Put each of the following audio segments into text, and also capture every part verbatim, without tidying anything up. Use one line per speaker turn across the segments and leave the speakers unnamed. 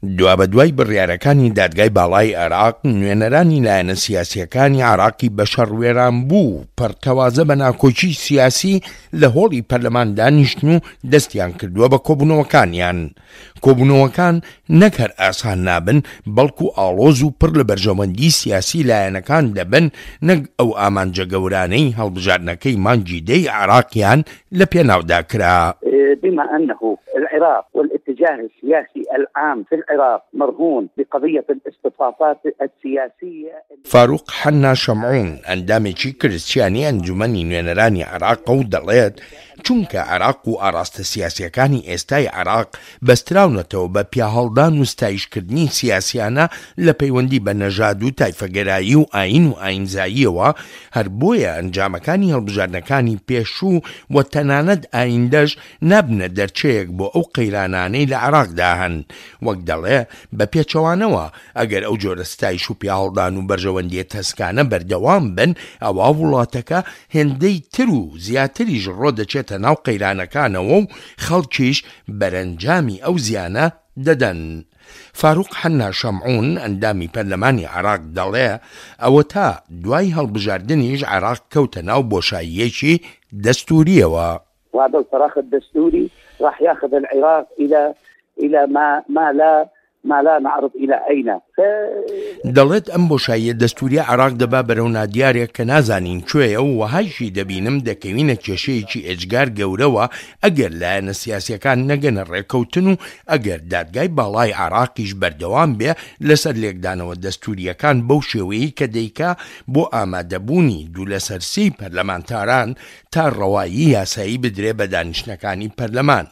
دوابەدوای بڕیارەکانی دادگای باڵای عێراق، نوێنەرانی لایەنە سیاسییەکانی عێراقی بە شەڕ وێرانبوو و پەرتەوازە بە ناکۆکی سیاسی لە هۆڵی پەرلەمان دانیشتن و دەستیان کردووە بە کۆبوونەوەکانیان. کۆبوونەوەکان نەک هەر ئاسان نابن، بەڵکو ئاڵۆز و پڕ لە بەرژەوەندی سیاسی لایەنەکان دەبن، نەک ئەو ئامانجە گەورانەی هەڵبژاردنەکەی مانگی دەی عێراقیان لە پێناودا کرا.
بما أنه العراق والاتجاه السياسي العام في العراق مرهون بقضية الاصطفافات السياسية.
فاروق حەننا شەمعون، ئەندامێکی کرستیانی ئەنجومەنی نوێنەرانی عێراقە و دەڵێت، چونکە عێراق و ئاڕاستە سیاسییەکانی ئێستای عێراق بەستراونەتەوە بە پیاهەڵدان و ستایشکردنی سیاسیانە لە پەیوەندی بە نەژاد و تایفەگەرایی و ئایین و ئایینزاییەوە، هەر بۆیە ئەنجامەکانی هەڵبژاردنەکانی پێشوو و تەنانەت ئایندەش نابنە دەرچەیەک بۆ ئەو قەیرانانەی لە عێراقدا هەن. وەک دەڵێ، بە پێچەوانەوە ئەگەر ئەو جۆرە ستایش و پیاهەڵدان و بەرژەوەندییە تەسکانە بەردەوام بن، ئەوا وڵاتەکە هێندەی تر و زیاتریش ڕۆدەچێتە ناو قەیرانەکانەوە و خەڵکیش بەرەنجامی ئەو زیانە دەدەن. فاروق حەننا شەمعون، ئەندامی پەرلەمانی عێراق دەڵێ، ئەوەتا دوای هەڵبژاردنیش عێراق کەوتە ناو بۆشاییەکی دەستوورییەوە.
وهذا الفراغ الدستوري راح ياخذ العراق الى الى ما ما لا ما لا نعرف الى اين.
دەڵێت ئەم بۆشاییە دەستوریە عێراق دەبا بەرەو نادیارێک کە نازانین کوێیە و وەهایشی دەبینم دەکەوینە کێشەیەکی ئێجگار گەورەوە ئەگەر لایەنە سیاسیەکان نەگەنە ڕێکەوتن و ئەگەر دادگای باڵای عێراقیش بەردەوام بێ لەسەر لێکدانەوە دەستوریەکان بەو شێوەیەی کە دەیکا بۆ ئامادەبوونی دوو لەسەر سێی پەرلەمانتاران تا ڕەوایی یاسایی بدرێ بە دانیشتنەکانی پەرلەمان.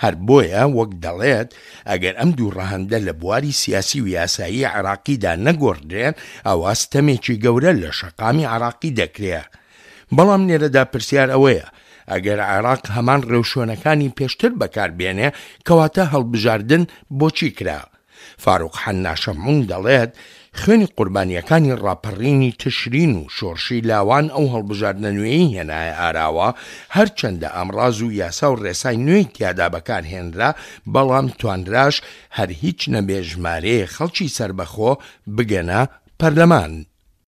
هەر بۆیە وەک دەڵێت ئەگەر ئەم دوو ڕەهەندە لە بواری سیاسی و یاسایی عێراقیدا نەگۆڕدرێن ئەوا ستەمێکی گەورە لە شەقامی عێراقی دەکرێ. بەڵام لێرەدا پرسیار ئەوەیە ئەگەر عێراق هەمان ڕێوشوێنەکانی پێشتر بەکار بێنێ کەواتە هەڵبژاردن بۆچی کرا؟ فاروق حەننا شەمعون دەڵێت، خوێنی قوربانییەکانی ڕاپەڕینی تشرین و شۆڕشی لاوان ئەو هەڵبژاردنە نوێیەی هێنایە ئاراوە، هەرچەندە ئامڕاز و یاسا و ڕێسای نوێی تیادا بەکارهێنرا، بەڵام توانراش هەر هیچ نەبێ ژمارەیەک خەڵکی سەربەخۆ بگەنە پەرلەمان.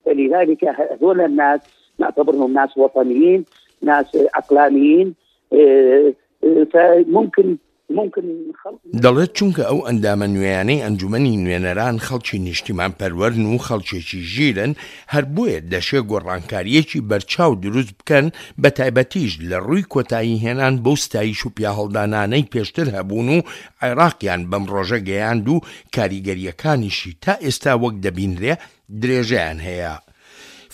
فلذلك هذول الناس نعتبرهم ناس وطنيين، ناس عقلانيين، فممكن
دەڵێت چونکە ئەو ئەندامە نوێیانەی ئەنجومەنی نوێنەران خەڵکی نیشتیمانپەروەرن و خەڵکێکی ژیرن، هەر بۆیە دەشێ گۆڕانکارییەکی بەرچاو دروست بکەن، بەتایبەتیش لە ڕووی کۆتاییهێنان بەو ستایش و پیاهەڵدانانەی پێشتر هەبوون و عێراقیان بەم ڕۆژە گەیاند و کاریگەرییەکانیشی تا ئێستا وەک دەبینرێ درێژەیان هەیە.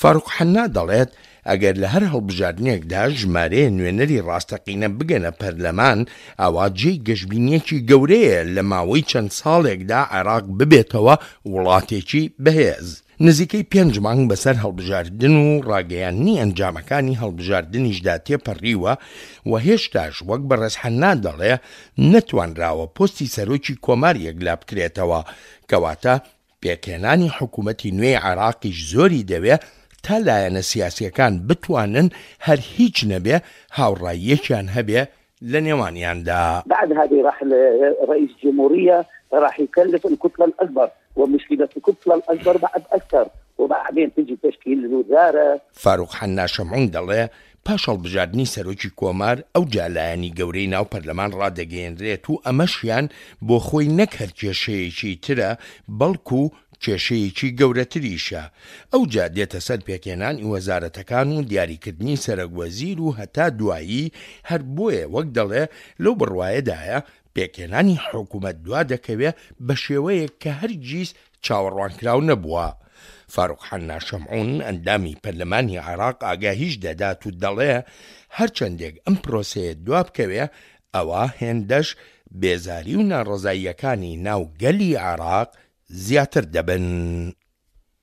فاروق حەننا دەڵێت، ئەگەر لە هەر هەڵبژاردنێکدا ژمارەیە نوێنەری ڕاستەقینە بگەنە پەرلەمان، ئەوا جێی گەشبینییەکی گەورەیە لە ماوەی چەند ساڵێکدا عێراق ببێتەوە وڵاتێکی بەهێز. نزیکەی پێنج مانگ بەسەر هەڵبژاردن و ڕاگەیاندنی ئەنجامەکانی هەڵبژاردنیشدا تێپەڕیوە و هێشتاش وەک بەڕێز حەننا دەڵێ نەتوانراوە پۆستی سەرۆکی کۆمار یەکلابکرێتەوە، کەواتە پێکهێنانی حکومەتی نوێی عێراقیش زۆری دەوێ تا لایەنە سیاسییەکان بتوانن هەر هیچ نەبێ هاوڕاییەکیان هەبێ لە نێوانیاندا.
بعد هذه راح رئيس جمهورية راح يكلف الكتلة الأكبر ومشكلة الكتلة الأكبر بعد أكثر وبعدين تجي تشكيل الوزارة.
فاروق حەننا شەمعون دەڵێ، پاش هەڵبژاردنی سەرۆکی کۆمار ئەوجا لایەنی گەورەی ناو پەرلەمان ڕادەگەیەنرێت و ئەمەشیان بۆ خۆی نەک هەر کێشەیەکی ترە بەڵکو کێشەیەکی گەورەتریشە ئەوجا دێتە سەر پێکهێنانی وەزارەتەکان و دیاریکردنی سەرەک وەزیر و هەتا دوایی هەر بۆیە وەک دەڵێ لەو بڕوایەدایە پێکهێنانی حکومەت دوادەکەوێ بەشێوەیەک کە هەرگیز چاوەڕوانکراو نەبووە. فاروق حەننا شەمعون، ئەندامی پەرلەمانی عێراق ئاگاهیش دەدات و دەڵێ، هەرچەندێک ئەم پرۆسەیە دوابکەوێ، ئەوا هێندەش بێزاری و ناڕەزاییەکانی ناو گەلی عێراق زیاتر دەبن.